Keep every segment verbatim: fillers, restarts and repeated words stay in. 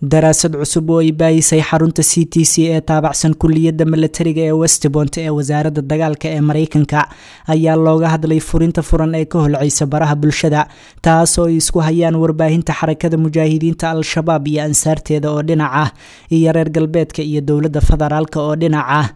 Daraasad cusub oo ay baahisay xarunta C T C ee taabacsan kulliyadda milatariga ee Westpont ee wasaaradda dagaalka ee Mareykanka ayaa looga hadlay furinta furan ee ka holcaysa baraha bulshada, taasoo ay isku hayaan warbaahinta Xarakada Mujaahidiinta Al-Shabaab iyo ansaarteeda oo dhinac ah, iyo reer galbeedka iyo dowladda federaalka oo dhinac ah.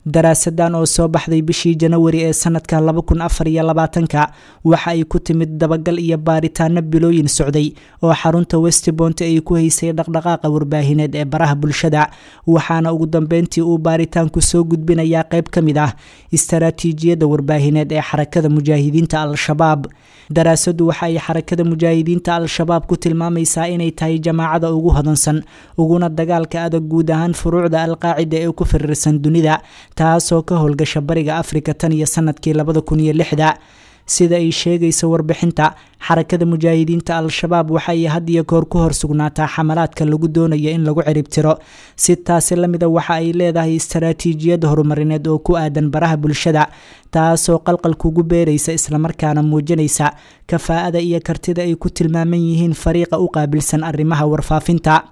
Daraasadan oo soo baxday bishii Janawari ee sanadka laba kun afar iyo labaatanka waxa ay ku timid dabagal iyo baaritaano bilooyin socday oo xarunta Westpont ay ku haysay dhaqdhaqaaqa warbaahineed ee baraha bulshada, waxaana ugu dambeyntii uu baaritaanku soo gudbinayaa qayb ka mid ah istaraatiijiyadda warbaahineed ee Xarakada Mujaahidiinta Al-Shabaab. Daraasaddu waxa ay Xarakada Mujaahidiinta Al-Shabaab ku tilmaamaysaa inay tahay jamaacada ugu hodansan uguna dagaalka adag guud ahaan furuucda Alqaacida ee ku firirsan dunida, taasoo ka howlgasha Bariga Afrika tan iyo sanadkii labada kun iyo lixda. Sida ay sheegayso warbixinta, Xarakada Mujaahidiinta Al-Shabaab waxa ay had iyo goor ku hor sugnaataa xamalaadka lagu doonayo in lagu ciribtiro. Si taasi la mida, waxa ay leedahay istaraatiijiyad horumarineed oo ku aadan baraha bulshada, taasoo qalqal kugu beeraysa islamarkaana muujinaysa kafaa'ada iyo kartida ay ku tilmaaman yihiin fariiqa u qaabilsan arrimaha warfaafinta.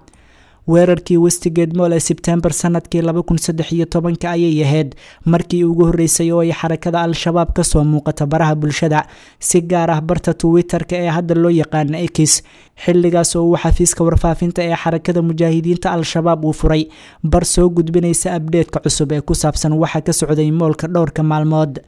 Weerarkii Westgate Mall ee Sebtembar sanadkii laba kun saddex iyo tobanka ayay ahayd markii ugu horreysay oo ay Xarakada Al-Shabaab kasoo muuqata baraha bulshada, si gaar ah barta Twitter-ka ee hadda loo yaqaano X, xilligaas oo uu xafiiska warfaafinta ee Xarakada Mujaahidiinta Al-Shabaab uu furay bar soo gudbinaysa abdheedka cusub ee ku saabsan waxa ka socday moolka dhowrka maalmood.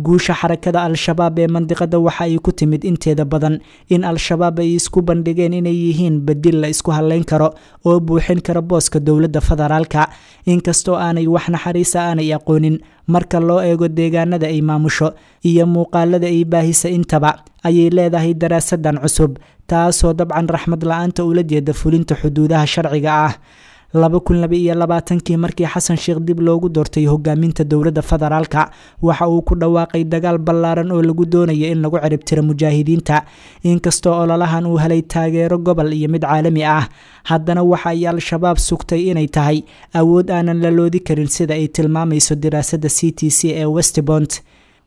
Guusha Xarakada Al-Shabaab ee mandiqada waxa ay ku timid inteeda badan in Al-Shabaab ay isku bandhigeen inay yihiin bedil la isku haleyn karo oo buuxin kara booska dowladda federaalka, inkastoo aanay wax naxariisa aanay aqoonin marka loo eego deegaanada ay maamusho iyo muuqaalada ay baahisa intaba, ayay leedahay daraasadan cusub, taasoo dabcan raxmad la-aanta ula jeeda fulinta xuduudaha sharciga ah. laba kun laba iyo labaatankii markii Xasan Sheekh dib loogu doortay hogaaminta dowladda federaalka, waxa uu ku dhawaaqay dagaal ballaaran oo lagu doonayo in lagu ciribtiro mujaahidiinta. Inkastoo ololahan uu helay taageero gobol iyo mid caalami ah, haddana waxa ay Al-Shabaab sugtay inay tahay awood aanan la loodi karin, sida ay tilmaamayso diraasadda C T C ee Westpont.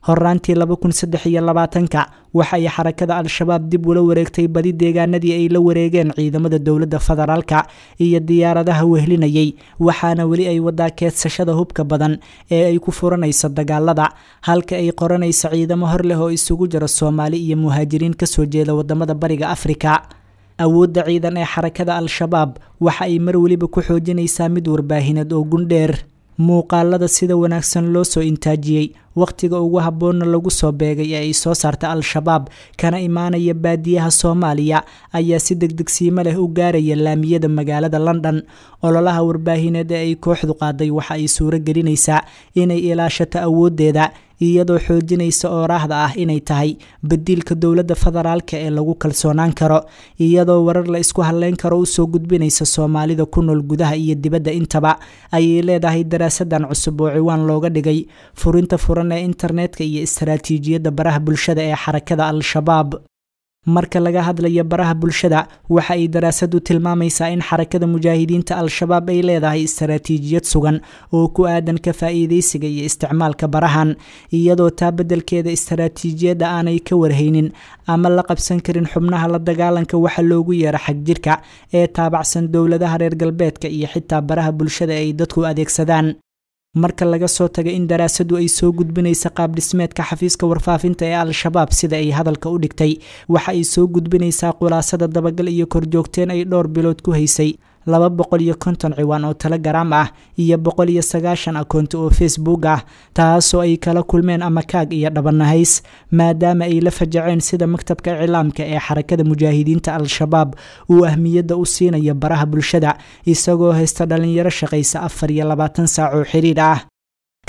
Horaantii laba kun saddex iyo labaatanka waxa ay Xarakada Al-Shabaab dib ula wareegtay badi deegaanadii ay la wareegeen ciidamada dowladda federaalka iyo diyaaradaha wehlinayay, waxaana weli ay wadaa keedsashada hubka badan ee ay ku furanayso dagaalada, halka ay qoranayso ciidamo hor leh oo isugu jira Soomaali iyo muhaajiriin kasoo jeeda wadamada Bariga Afrika. Awoodda ciidan ee Xarakada Al-Shabaab waxa ay mar weliba ku xoojinaysaa mid warbaahineed oo gundheer. Muuqaalada sida wanaagsan loo soo intaajiyey, wakhtiga ugu habboonna lagu soo beegay ee ay soo saarta Al-Shabaab kana imaanaya baadiyaha Soomaaliya ayaa si degdegsiimo leh u gaaraya laamiyada magaalada London. Ololaha warbaahineed ee ay kooxdu qaaday waxa ay suuro gelinaysaa inay ilaashato awooddeeda, iyadoo xoojinaysa ooraahda ah inay tahay badiilka dowladda federaalka ee lagu kalsoonaan karo, iyadoo warar la isku haleyn karo usoo gudbinaysa Soomaalida ku nool gudaha iyo dibadda intaba, ayay leedahay daraasadan cusub oo ciwaan looga dhigay furinta furan ee internetka iyo istaraatiijiyadda baraha bulshada ee Xarakada Al-Shabaab. Marka laga hadlayo baraha bulshada, waxa ay daraasadu tilmaamaysaa in Xarakada Mujaahidiinta Al-Shabaab ay leedahay istaraatiijiyad sugan oo ku aadan ka faa'iidaysiga iyo isticmaalka barahan, iyadoo taa beddelkeeda istaraatiijiyadda aanay ka warhaynin ama la qabsan karin xubnaha la dagaalanka waxa loogu yeero xagjirka ee taabacsan dowladaha reer galbeedka iyo xitaa baraha bulshada ay dadku adeegsadaan. Marka laga soo tago in daraasadu ay soo gudbinaysa qaab dhismeedka xafiiska warfaafinta ee Al-Shabaab sida ay hadalka u dhigtay, waxa ay soo gudbinaysaa khulaasada dabagal iyo korjoogteen ay dhowr bilood ku haysay laba boqol iyo konton ciwaan oo Telegram ah iyo boqol iyo sagaashan akoonti oo Facebook ah, taasoo ay kala kulmeen ama kaag iyo dhabanahays, maadaama ay la fajaceen sida maktabka iclaamka ee Xarakada Mujaahidiinta Al-Shabaab uu ahmiyadda u siinayo baraha bulshada, isagoo haysta dhalinyaro shaqaysa afar iyo labaatan saac oo xiriir ah.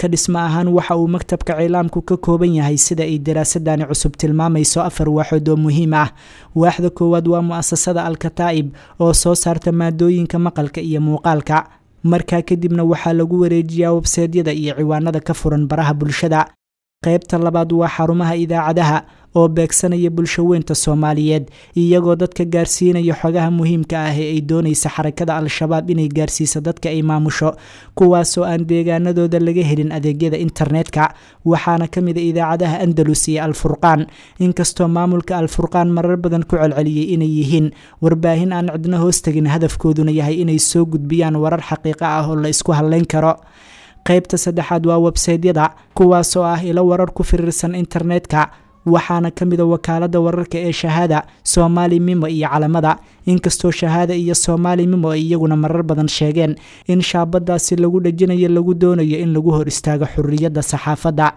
Ka dhisma ahaan waxa uu maktabka cilaamku ka kooban yahay, sida ay daraasadani cusub tilmaamayso, afar waaxood oo muhiim ah. Waaxda koowaad waa mu'asasada Al-Kataa'ib oo soo saarta maadooyinka maqalka iyo muuqaalka. Markaa kadibna waxaa lagu wareejiyaa websaydyada iyo ciwaanada ka furan baraha bulshada. Qaybta labaad waa xarumaha idaacadaha oo beegsanaya bulsho weynta Soomaaliyeed, iyagoo dadka gaarsiinaya xogaha muhiimka ah ee ay doonaysa xarakada Al-Shabaab inay gaarsiiso dadka ay maamusho, kuwaasoo aan deegaanadooda laga helin adeegyada internetka. Waxaana ka mid a idaacadaha Andalus iyo Al-Furqaan, inkastoo maamulka Al-Furqaan marar badan ku celceliyey inay yihiin warbaahin aan cidna hoos tegin, hadafkooduna yahay inay soo gudbiyaan warar xaqiiqo ah oo la isku halleyn karo. Qaybta saddexaad waa websaydyada, kuwaasoo ah ilo warar ku firiirsan internetka, waxaana ka mid a wakaalada wararka ee Shahaada, Soomaali Mimo iyo Calamada, inkastoo Shahaada iyo Soomaali Mimo ay iyaguna marar badan sheegeen in shaabadaasi lagu dhejinayo lagu doonayo in lagu hor istaago xurriyadda saxaafadda.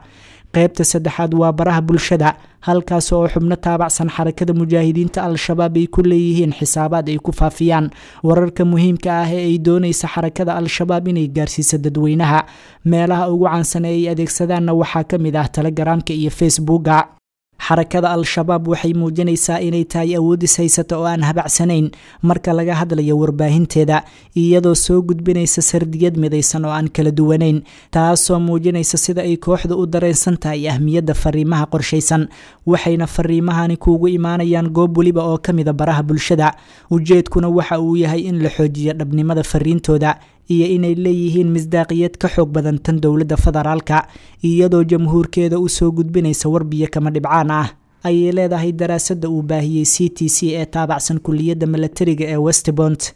Qaybta saddexaad waa baraha bulshada, halkaas oo xubno taabacsan xarakada mujaahidiinta Al-Shabaab ay ku leeyihiin xisaabaad ay ku faafiyaan wararka muhiimka ah ee ay doonaysa xarakada Al-Shabaab inay gaarsiiso dadweynaha. Meelaha ugu caansan ee ay adeegsadaanna waxaa ka mid ah Telegaraamka iyo Facebooka. Xarakada Al-Shabaab waxay muujinaysaa inay tahay awoodis haysata oo aan habacsanayn marka laga hadlayo warbaahinteeda, iyadoo soo gudbinaysa sardiyad midaysan oo aan kala duwanayn, taasoo muujinaysa sida ay kooxdu u dareensan tahay ahmiyadda fariimaha qorshaysan. Waxayna fariimahani kuugu imaanayaan goob weliba oo ka mida baraha bulshada, ujeedkuna waxa uu yahay in la xoojiyo dhabnimada fariintooda iyo inay leeyihiin misdaaqiyad ka xoog badan tan dowladda federaalka, iyadoo jamhuurkeeda usoo gudbinaysa warbiyo kama dhibcaan ah, ayay leedahay daraasadda uu baahiyey C T C ee taabacsan kuliyadda milatariga ee Westbont.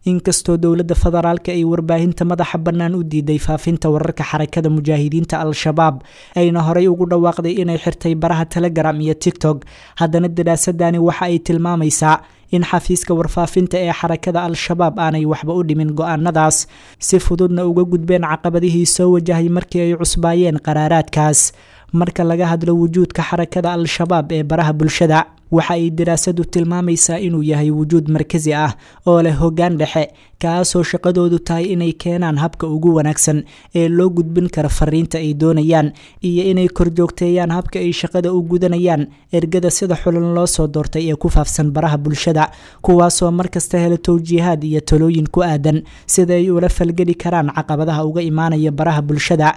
Inkastoo dowladda federaalka ay warbaahinta madaxa bannaan u diiday faafinta wararka xarakada mujaahidiinta Al-Shabaab, ayna horey ugu dhawaaqday inay xirtay baraha Telegram iyo TikTok, haddana daraasadani waxa ay tilmaamaysaa in xafiiska warfaafinta ee xarakada Al-Shabaab aanay waxba u dhimin go-aanadaas, si fududna uga gudbeen caqabadihii soo wajahay markii ay cusbaayeen qaraaraadkaas. Marka laga hadlo wujuudka xarakada Al-Shabaab ee baraha bulshada, waxa ay daraasadu tilmaamaysaa inuu yahay wujuud markasi ah oo leh hoggaan dhexe, kaasoo shaqadoodu tahay inay keenaan habka ugu wanaagsan ee loo gudbin karo fariinta ay doonayaan, iyo inay korjoogteeyaan habka ay shaqada u gudanayaan ergada sida xulan loo soo doortay ee ku faafsan baraha bulshada, kuwaasoo markasta hela towjiihaad iyo talooyin ku aadan sida ay ula falgeli karaan caqabadaha uga imaanaya baraha bulshada.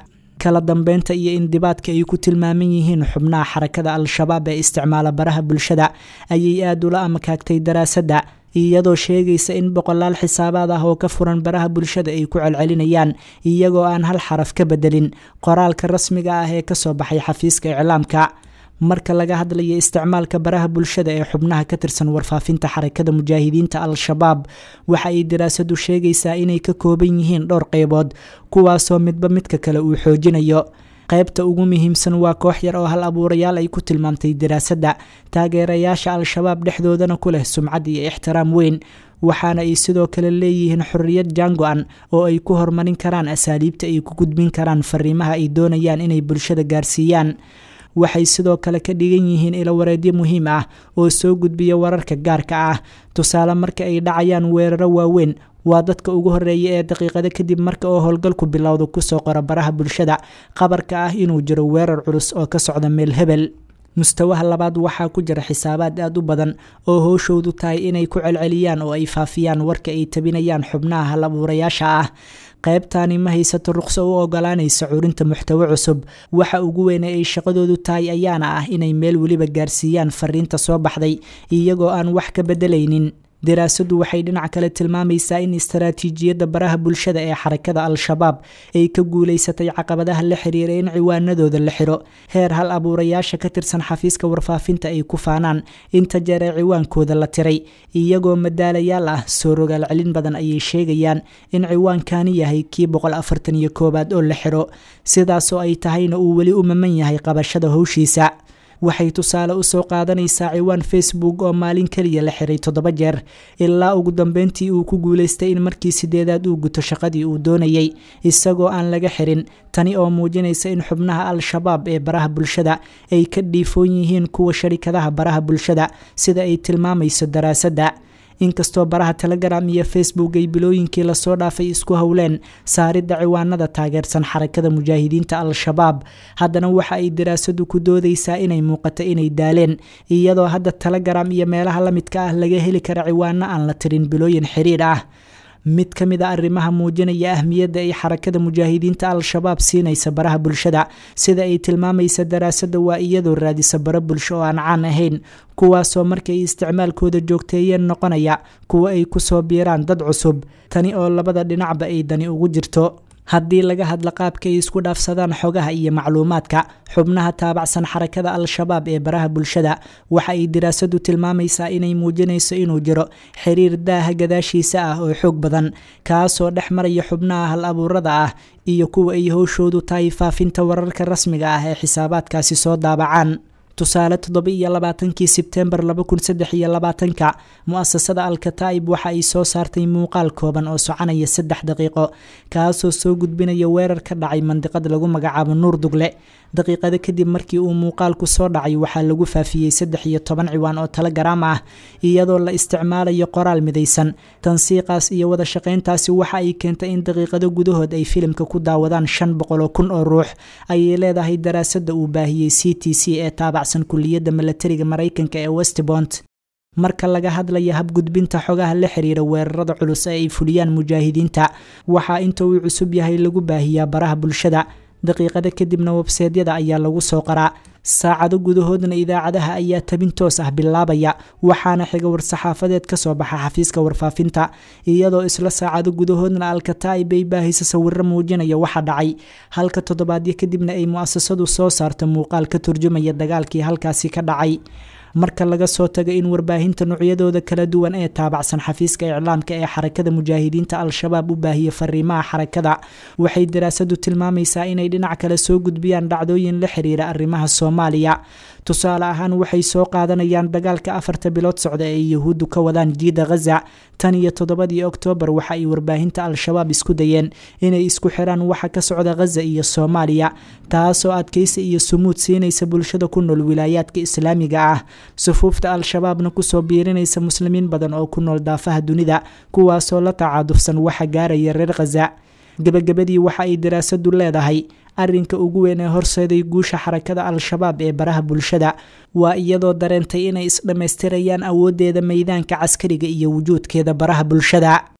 Kala dambeynta iyo indibaadka ay ku tilmaaman yihiin xubnaha xarakada Al-Shabaab ee isticmaala baraha bulshada ayay aada ula amakaagtay daraasadda, iyadoo sheegaysa in boqolaal xisaabaad ah oo ka furan baraha bulshada ay ku celcelinayaan iyagoo aan hal xaraf ka bedelin qoraalka rasmiga ah ee kasoo baxay xafiiska iclaamka. Marka laga hadlayo isticmaalka baraha bulshada ee xubnaha ka tirsan warfaafinta xarakada mujaahidiinta Al-Shabaab, waxa ay daraasadu sheegaysaa inay ka kooban yihiin dhowr qaybood, kuwaasoo midba midka kale uu xoojinayo. Qaybta ugu muhiimsan waa koox yar oo hal abuurayaal ay ku tilmaamtay daraasadda, taageerayaasha Al-Shabaab dhexdoodana ku leh sumcad iyo ixtiraam weyn, waxaana ay sidoo kale leeyihiin xorriyad jaango-an oo ay ku horumarin karaan asaaliibta ay ku gudbin karaan fariimaha ay doonayaan inay bulshada gaarsiiyaan. Waxay sidoo kale ka dhigan yihiin ilo wareedyo muhiim ah oo soo gudbiya wararka gaarka ah. Tusaale, marka ay dhacayaan weeraro waaweyn, waa dadka ugu horreeya ee daqiiqado kadib marka oo howlgalku bilowdo kusoo qora baraha bulshada qabarka ah inuu jiro weerar culus oo ka socda meel hebel. Mustawaha labaad waxaa ku jira xisaabaad aada u badan oo howshoodu tahay inay ku celceliyaan oo ay faafiyaan warka ay tabinayaan xubnaha hal abuurayaasha ah. Qaybtani ma haysato ruqso u ogolaanaysa curinta muxtawo cusub. Waxa ugu weyne ay shaqadoodu tahay ayaana ah inay meel weliba gaarsiiyaan fariinta soo baxday iyagoo aan wax ka bedelaynin. Daraasaddu waxay dhinac kale tilmaamaysaa in istaraatiijiyadda baraha bulshada ee xarakada Al-Shabaab ay ka guulaysatay caqabadaha la xiriira in ciwaanadooda la xiro, heer hal abuurayaasha ka tirsan xafiiska warfaafinta ay ku faanaan inta jeer ee ciwaankooda la tiray, iyagoo madaalayaal ah. Soo rogaal celin badan ayay sheegayaan in ciwaankani yahay kii boqol afartan iyo koowaad oo la xiro, sidaasoo ay tahayna uu weli u maman yahay qabashada howshiisa. Waxay tusaale usoo qaadanaysaa ciwaan Facebook oo maalin keliya la xiray toddoba jeer, ilaa ugu dambeyntii uu ku guulaystay in markii sideedaad uu guto shaqadii uu doonayay isagoo aan laga xirin. Tani oo muujinaysa in xubnaha Al-Shabaab ee baraha bulshada ay ka dhiifoon yihiin kuwa sharikadaha baraha bulshada, sida ay tilmaamayso daraasadda. Inkastoo baraha Telegram iyo Facebook ay bilooyinkii lasoo dhaafay isku howleen saaridda ciwaanada taageersan xarakada mujaahidiinta Al-Shabaab, haddana waxa ay daraasadu ku doodaysaa inay muuqato inay daaleen, iyadoo hadda Telegram iyo meelaha la midka ah laga heli kara ciwaano aan la tirin bilooyin xiriir ah. Mid ka mid a arrimaha muujinaya ahmiyadda ay xarakada mujaahidiinta Al-Shabaab siinaysa baraha bulshada sida ay tilmaamaysa daraasadda waa iyadoo raadisa bara bulsho oo aan caan ahayn, kuwaasoo markay isticmaalkooda joogteeyeen noqonaya kuwa ay kusoo biiraan dad cusub, tani oo labada dhinacba ay dani ugu jirto. Haddii laga hadla qaabka ay isku dhaafsadaan xogaha iyo macluumaadka xubnaha taabacsan xarakada Al-Shabaab ee baraha bulshada, waxa ay daraasadu tilmaamaysaa inay muujinayso inuu jiro xiriir daaha gadaashiisa ah oo xoog badan, kaasoo dhex maraya xubnaha hal abuurada ah iyo kuwa ay howshoodu tahay faafinta wararka rasmiga ah ee xisaabaadkaasi soo daabacaan. Tusaale, toddoba iyo labaatankii Sebtembar laba kun saddex iyo labaatanka, mu'asasada Al-Kataa'ib waxa ay soo saartay muuqaal kooban oo soconaya saddex daqiiqo, kaasoo soo gudbinaya weerar ka dhacay mandiqad lagu magacaabo Nuur Dugle. Daqiiqado kadib markii uu muuqaalku soo dhacay, waxaa lagu faafiyey saddex iyo toban ciwaan oo Telegram ah, iyadoo la isticmaalayo qoraal midaysan. Tansiiqaas iyo wada shaqayntaasi waxa ay keentay in daqiiqado gudahood ay filimka ku daawadaan shan boqol oo kun oo ruux, ayay leedahay daraasadda uu baahiyey C T C ee taabacsan kulliyadda milatariga Maraykanka ee Westpont. Marka laga hadlaya habgudbinta xogaha la xiriira weerarada culus ee ay fuliyaan mujaahidiinta, waxaa inta uu cusub yahay lagu baahiyaa baraha bulshada, daqiiqada kadibna webseedyada ayaa lagu soo qoraa, saacado gudahoodna idaacadaha ayaa tabin toos ah bilaabaya, waxaana xiga war-saxaafadeed ka soo baxa xafiiska warfaafinta, iyadoo isla saacado gudahoodna Al-Kataa'ib ay baahisa sawiro muujinaya waxa dhacay, halka toddobaadyo kadibna ay mu'asasadu soo saarto muuqaal ka turjumaya dagaalkii halkaasi ka dhacay. Marka laga soo tago in warbaahinta noocyadooda kala duwan ee taabacsan xafiiska iclaamka ee xarakada mujaahidiinta Al-Shabaab u baahiya fariimaha xarakada, waxay daraasadu tilmaamaysaa inay dhinac kale soo gudbiyaan dhacdooyin la xiriira arrimaha Soomaaliya. Tusaale ahaan, waxay soo qaadanayaan dagaalka afarta bilood socda ee Yuhuuddu ka wadaan jiida Ghaza. Tan iyo toddobadii Oktoobar waxa ay warbaahinta Al-Shabaab isku dayeen inay isku xiraan waxa ka socda Ghaza iyo Soomaaliya, taasoo adkaysi iyo sumuud siinaysa bulshada ku nool wilaayaadka islaamiga ah, sufuufta Al-Shabaabna kusoo biirinaysa muslimiin badan oo ku nool daafaha dunida, kuwaasoo la tacaadufsan waxa gaaraya reer Ghaza. Gabagabadii, waxa ay daraasadu leedahay arrinka ugu weyn ee horseeday guusha xarakada Al-Shabaab ee baraha bulshada waa iyadoo dareentay inay isdhammaystirayaan awooddeeda meydaanka caskariga iyo wujuudkeeda baraha bulshada.